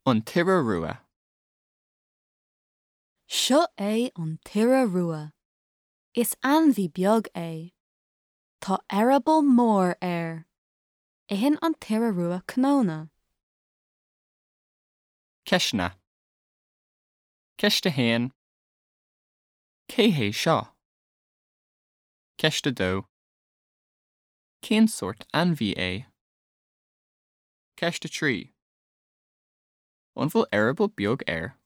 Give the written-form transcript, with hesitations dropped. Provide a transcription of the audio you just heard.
An tIora Rua. Seo é an t-iora rua. Is ainmhí beag é. Tá eireaball mór air. Itheann an t-iora rua cnónna. Ceisteanna. Ceist 1. Cé hé seo? Ceist 2. Cén sórt ainmhí é? Ceist 3. An bhfuil eireaball beag air?